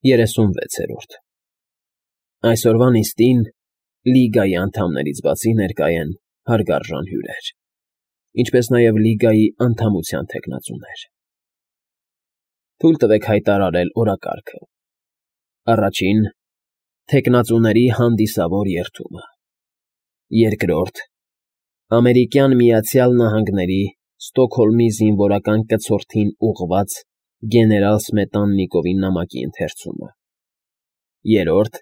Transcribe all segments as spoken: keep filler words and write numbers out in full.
երեսունվեցերորդ Այսօրվա նիստին, Լիգայի անդամներից բացի, ներկա են հարգարժան հյուրեր, ինչպես նաև Լիգայի անդամության թեկնածուներ։ Թույլ տվեք հայտարարել օրակարգը։ Առաջին՝ թեկնածուների հանդիսավոր երդումը։ Երկրորդ՝ Ամերիկյան Միացյալ Նահանգների Ստոկհոլմի զինվորական կցորդին ուղղված գեներալ Սմետաննիկովի նամակի ընթերցումը։ Երրորդ՝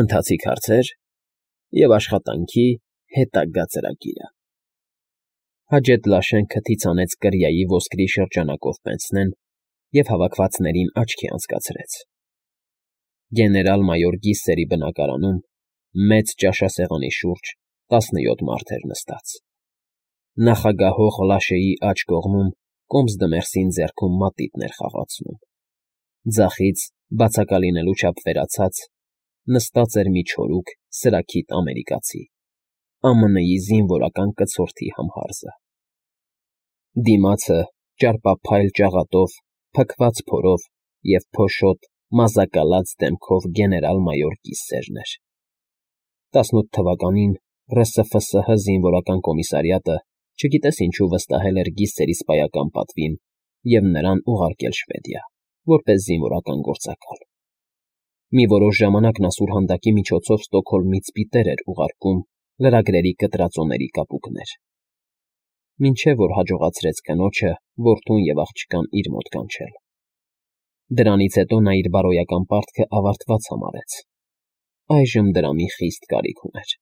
Ընթացիկ հարցեր և աշխատանքի հետագա ծրագիրը։ Հաջեթ Լաշեն քթից հանեց կրիայի ոսկրի շրջանակով պենսնեն և հավաքվածներին աչքի անցկացրեց։ Գեներալ֊մայոր Գիսսերի բնակարանում մեծ ճաշասեղանի շուրջ տասնյոթ մարդ էր նստած։ Նախագահող Լաշեի աջ կողմում կոմս֊դմերսին ձեռքում մատիտն էր խաղացնում։ Ձախից, բացակա լինելու չափ վերացած, նստած էր մի չորուկ, սրաքիթ ամերիկացի՝ Α M N-ի զինվորական կցորդի համհարզը։ Դիմացը ճարպափայլ ճաղատով, փքված փորով և փոշոտ, մազակալած դեմքով գեներալ֊մայոր Գիսսերն էր։ տասնութ թվականին Ռ S F S H զինվորական կոմիսարիատը չգիտես ինչու վստահել էր Գիսսերի սպայական պատվին և նրան ուղարկել Շվեդիա, որպես զինվորական գործակալ։ Մի որոշ ժամանակ նա սուրհանդակի միջոցով Ստոկհոլմից պիտեր էր ուղարկում լրագրերի կտրածոների կապուկներ, մինչև որ հաջողացրեց կնոջը, որդուն և աղջկան իր մոտ կանչել։ Դրանից հետո նա իր բարոյական պարտքը ավարտված համարեց։ Այժմ դրա մի խիստ կարիք ուներ։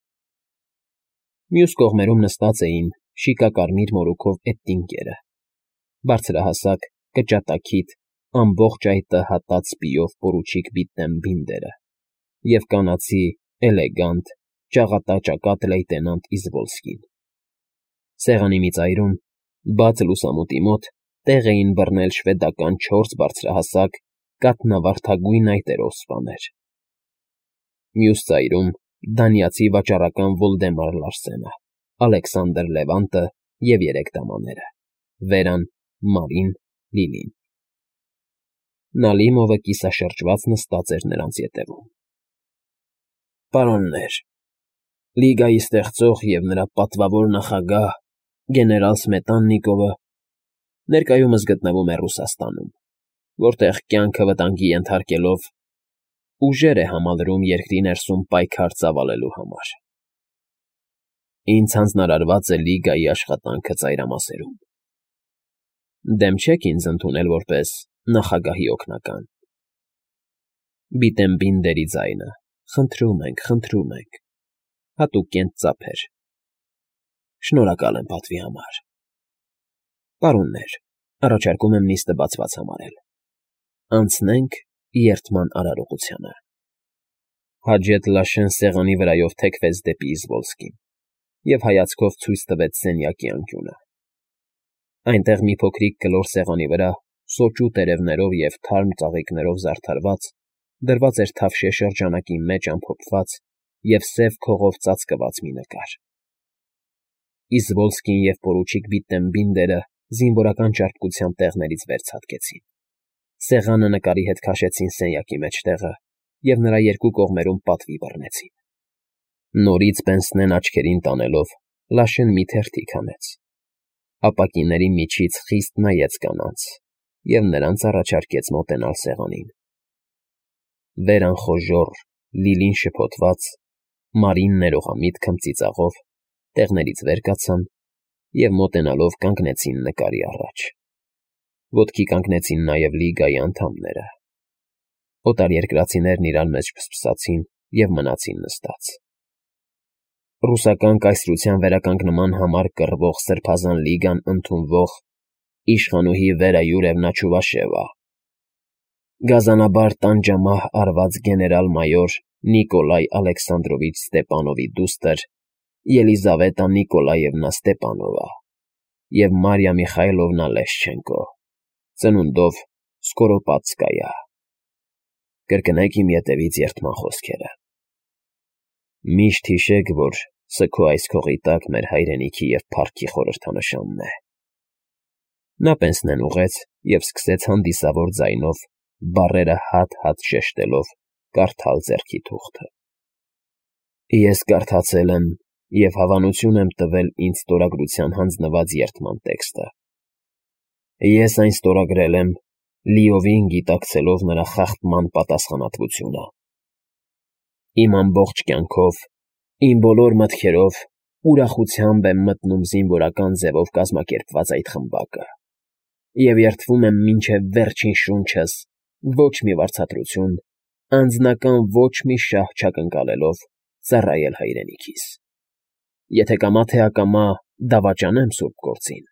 Մյուս կողմերում նստած էին շիկակարմիր մորուքով էթնիկները, բարձրահասակ, կճատակիթ, ամբողջ այտը հատած սպիով պորուչիկ Բիտտեն֊Բինդերը և կանացի, էլեգանտ, ճաղատաճակատ լեյտենանտ Իզվոլսկին։ Սեղանի մի ծայրում, բաց լուսամուտի մոտ, տեղ էին բռնել շվեդական չորս բարձրահասակ, կաթնավարդագույն այտերով սպաներ։ Մյուս ծայրում դանիացի վաճառական Վոլդեմար Լարսենը, Ալեքսանդր Լևանտը և երեք դամաները՝ Վերան, Մարին, Լիլին։ Նալիմովը կիսաշրջված նստած էր նրանց ետևում։ Պարոններ, Լիգայի ստեղծող և նրա պատվավոր նախագահ գեներալ Սմետաննիկովը ներկայումս գտնվում է Ռուսաստանում, որտեղ կյանքը վտանգի ենթարկելով ուժեր է համալրում երկրի ներսում պայքար ծավալելու համար։ Ինձ հանձնարարված է Լիգայի աշխատանքը ծայրամասերում։ Դեմ չեք ինձ ընդունել որպես նախագահի օգնական։ Բիտտեն֊Բինդերի ձայնը. Խնդրում ենք, խնդրում ենք, հատուկ կենտ ծափեր։ Շնորհակալ եմ պատվի համար։ Պարոններ, առաջարկում եմ նիստը բացված համարել։ Անցնենք երդման արարողությանը։ Հաջեթ Լաշեն սեղանի վրայով թեքվեց դեպի Իզվոլսկին և հայացքով ցույց տվեց սենյակի անկյունը։ Այնտեղ մի փոքրիկ կլոր սեղանի վրա, սոճու տերևներով և թարմ ծաղիկներով զարդարված, դրված էր թավշյա շրջանակի մեջ ամփոփված և սև քողով ծածկված մի նկար։ Իզվոլսկին և պորուչիկ Բիտտեն֊Բինդերը զինվորական ճարպկությամբ տեղներից վեր ցատկեցին։ Սեղանը նկարի հետ քաշեցին սենյակի մեջտեղը և նրա երկու կողմերում պատվի բռնեցին։ Նորից պենսնեն աչքերին տանելով՝ Լաշեն մի թերթիկ հանեց, ապակիների միջից խիստ նայեց կանանց և նրանց առաջարկեց մոտենալ սեղանին։ Վերան խոժոռ, Լիլին շփոթված, Մարին ներողամիտ քմծիծաղով տեղներից վեր կացան և մոտենալով կանգնեցին նկարի առաջ։ Ոտքի կանգնեցին նաև Լիգայի անդամները։ Օտարերկրացիներն իրար մեջ ֆսֆսացին և մնացին նստած։ Ռուսական կայսրության վերականգնման համար կռվող Սրբազան լիգան ընդունվող իշխանուհի Վերա Յուրևնա Չուվաշևա, գազանաբար տանջամահ արված գեներալ֊մայոր Նիկոլայ Ալեքսանդրովիչ Ստեպանովի դուստր Ելիզավետա Նիկոլաևնա Ստեպանովա և Մարիա Միխայլովնա Լեշչենկո, ծնունդով Սկորոպադսկայա։ Կրկնեք իմ ետևից երդման խոսքերը։ Միշտ հիշեք, որ սը քո այս քողի տակ մեր հայրենիքի և փառքի խորհրդանշանն է։ Նա պենսնեն ուղղեց և սկսեց հանդիսավոր ձայնով բառերը հատ-հատ շեշտելով կարդալ ձեռքի թուղթը։ Ես կարդացել եմ և հավանություն եմ տվել ինձ ստորագրության հանձնված երդման տեքստը։ Ես այն ստորագրել եմ, լիովին գիտակցելով նրա խախտման պատասխանատվությունը։ Իմ ամբողջ կյանքով, իմ բոլոր մտքերով ուրախությամբ եմ մտնում զինվորական ձևով կազմակերպված այդ խմբակը և երդվում եմ մինչև վերջին շունչս ոչ մի վարձատրություն, անձնական ոչ մի շահ չակնկալելով ծառայել հայրենիքիս։ Եթե կամա թե ակամա դավաճանեմ սուրբ գործին,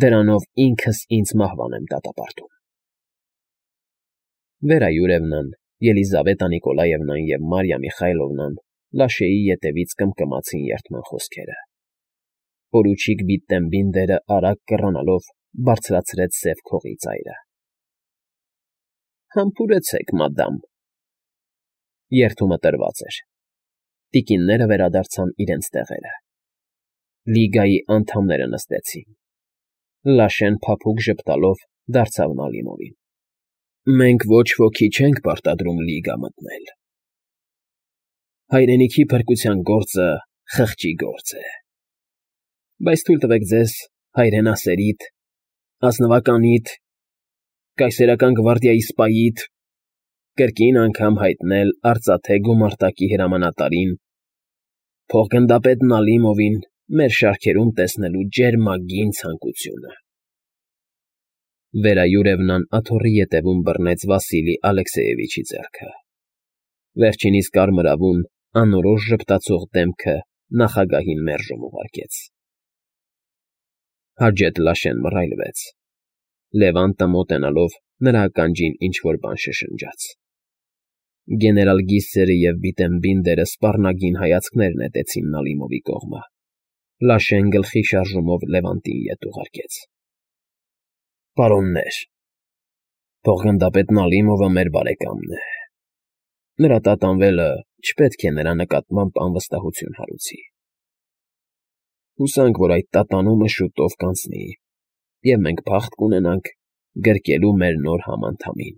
դրանով ինքս ինձ մահվան եմ դատապարտում։ Վերա Յուրևնան, Ելիզավետա Նիկոլաևնան և Մարիա Միխայլովնան Լաշեի ետևից կմկմացին երդման խոսքերը։ Պորուչիկ Վիտտենբինդերը արագ կռանալով բարձրացրեց սև քողի ծայրը։ Համբուրեցեք, մադամ։ Երդումը տրված էր։ Տիկինները վերադարձան իրենց տեղերը։ Լիգայի անդամները նստեցին։ Լաշեն փափուկ ժպտալով դարձավ Նալիմովին։ Մենք ոչ ոքի չենք պարտադրում լիգա մտնել։ Հայրենիքի փրկության գործը խղճի գործ է։ Բայց թույլ տվեք ձեզ հայրենասերիդ, ազնվականիդ, կայսերական գվարդիայի սպայիդ կրկին անգամ հայտնել արծաթե գումարտակի հրամանատարին, փոխգնդապետ Նալիմովին մեր շարքերում տեսնելու ջերմագին ցանկությունը։ Վերա Յուրևնան աթոռի ետևում բռնեց Վասիլի Ալեքսեևիչի ձեռքը։ Վերջինիս կարմրավուն, անորոշ ժպտացող դեմքը նախագահին մերժում ուղարկեց։ Հաջետ Լաշեն մռայլվեց։ Լևանտը մոտենալով նրա ականջին ինչ֊որ բան շշնջաց։ Գեներալ Գիսերը և Վիտտենբինդերը սպառնագին հայացքներ նետեցին Նալիմովի կողմը։ Լաշեն գլխի շարժումով Լևանտին ետ ուղարկեց։ Պարոններ, փոխգնդապետ Նալիմովը մեր բարեկամն է։ Նրա տատանվելը չպետք է նրա նկատմամբ անվստահություն հարուցի։ Հուսանք, որ այդ տատանումը շուտով կանցնի, և մենք փախտ կունենանք գրկելու մեր նոր համանդամին։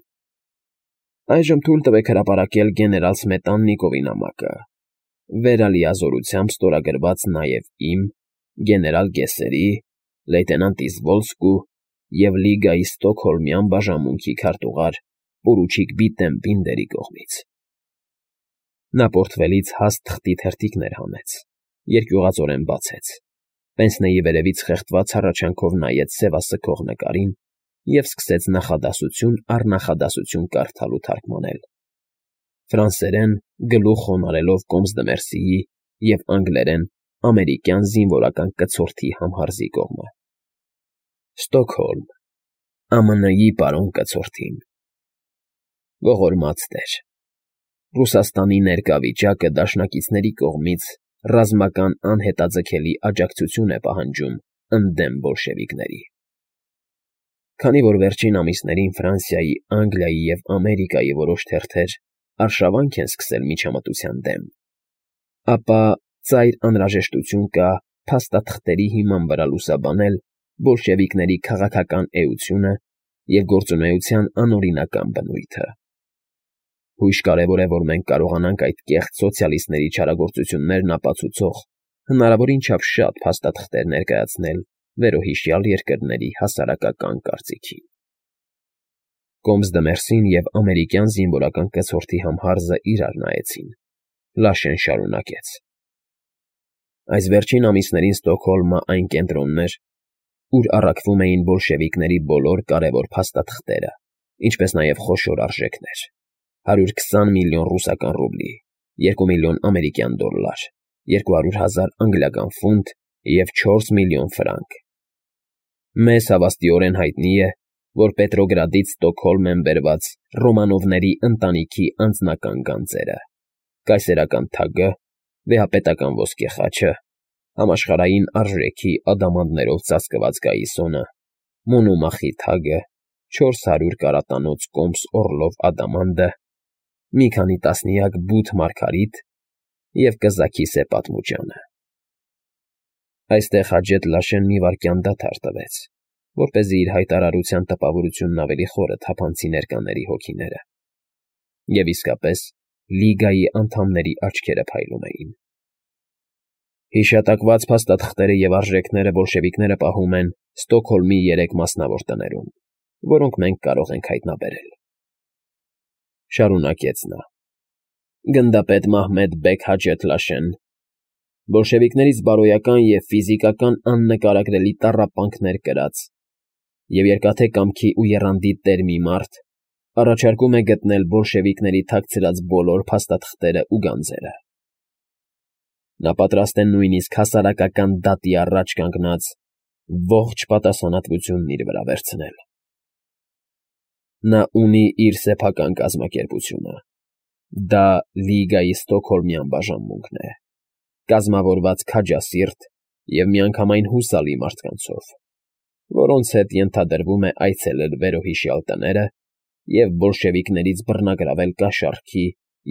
Այժմ թույլ տվեք հրապարակել գեներալ Սմետաննիկովի նամակը, վերալիազորությամբ ստորագրված նաև իմ, գեներալ Գեսերի, լեյտենանտ Իզվոլսկու և Լիգայի ստոկհոլմյան բաժանմունքի քարտուղար պորուչիկ Վիտտենբինդերի կողմից։ Նա պորտֆելից հաստ թղթի թերթիկներ հանեց, երկյուղածորեն բացեց, պենսնեի վերևից խեղդված հառաչանքով նայեց սևասքող նկարին և սկսեց նախադասություն առ նախադասություն կարդալ ու թարգմանել, ֆրանսերեն գլուխ խոնարհելով կոմս դը Մերսիի և անգլերեն ամերիկյան զինվորական կցորդի համհարզի կողմը։ Ստոկհոլմ, Ամն Ի պարոն կցորդին։ Ողորմած տեր, Ռուսաստանի ներկա վիճակը դաշնակիցների կողմից ռազմական անհետաձգելի աջակցություն է պահանջում ընդդեմ բոլշևիկների։ Քանի որ վերջին ամիսներին Ֆրանսիայի, Անգլիայի և Ամերիկայի որոշ թերթեր արշավանք են սկսել միջամտության դեմ, ապա ծայր անհրաժեշտություն կա փաստաթղթերի հիման վրա լուսաբանել բոլշևիկների քաղաքական էությունը և գործունեության անօրինական բնույթը։ Հույժ կարևոր է, որ մենք կարողանանք այդ կեղծ սոցիալիստների չարագործություններն ապացուցող հնարավորին չափ շատ փաստաթղթեր ներկայացնել վերոհիշյալ երկրների հասարակական կարծիքին։ Կոմս դը Մերսին և ամերիկյան զինվորական կցորդի համհարզը իրար նայեցին։ Լաշեն շարունակեց. Այս վերջին ամիսներին Ստոկհոլմը այն կենտրոնն էր, ուր առաքվում էին բոլշևիկների բոլոր կարևոր փաստաթղթերը, ինչպես նաև խոշոր արժեքներ. հարյուր քսան միլիոն ռուսական ռուբլի, երկու միլիոն ամերիկյան դոլար, երկու հարյուր հազար անգլիական ֆունտ և չորս միլիոն ֆրանկ։ Մեզ հավաստիորեն հայտնի է, որ Պետրոգրադից Ստոկհոլմ են բերված Ռոմանովների ընտանիքի անձնական գանձերը, կայսերական թագը, վեհապետական ոսկե խաչը, համաշխարհային արժեքի ադամանդներով ծածկված գայիսոնը, Մոնոմախի թագը, չորս հարյուր կարատանոց կոմս Օռլով ադամանդը, մի քանի տասնյակ բութ մարգարիտ և կզաքի սեպատմուջանը։ Այստեղ Հաջետ Լաշեն մի վայրկյան դադար տվեց, որպեսզի իր հայտարարության տպավորությունն ավելի խորը թափանցի ներկաների հոգիները։ Եվ իսկապես, Լիգայի անդամների աչքերը փայլում էին։ Հիշատակված փաստաթղթերը և արժեքները բոլշևիկները պահում են Ստոկհոլմի երեք մասնավոր տներում, որոնք մենք կարող ենք հայտնաբերել,֊ շարունակեց նա։ Գնդապետ Մահմեդ Բեգ Հաջեթլաշեն բոլշևիկներից բարոյական և ֆիզիկական աննկարագրելի տառապանքներ կրած և Երկաթե Կամքի ու Եռանդի տեր մի մարդ առաջարկում է գտնել բոլշևիկների թաքցրած բոլոր փաստաթղթերն ու գանձերը։ Նա պատրաստ է նույնիսկ հասարակական դատի առաջ կանգնած ողջ պատասխանատվությունն իր վրա վերցնել։ Նա ունի իր սեփական կազմակերպությունը։ Դա Լիգայի ստոկհոլմյան բաժանմունքն է, կազմավորված քաջասիրտ և միանգամայն հուսալի մարդկանցով, որոնց հետ ենթադրվում է այցելել վերոհիշյալ տները և բոլշևիկներից բռնագրավել կաշառքի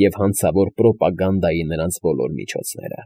և հանցավոր պրոպագանդայի նրանց բոլոր միջոցները։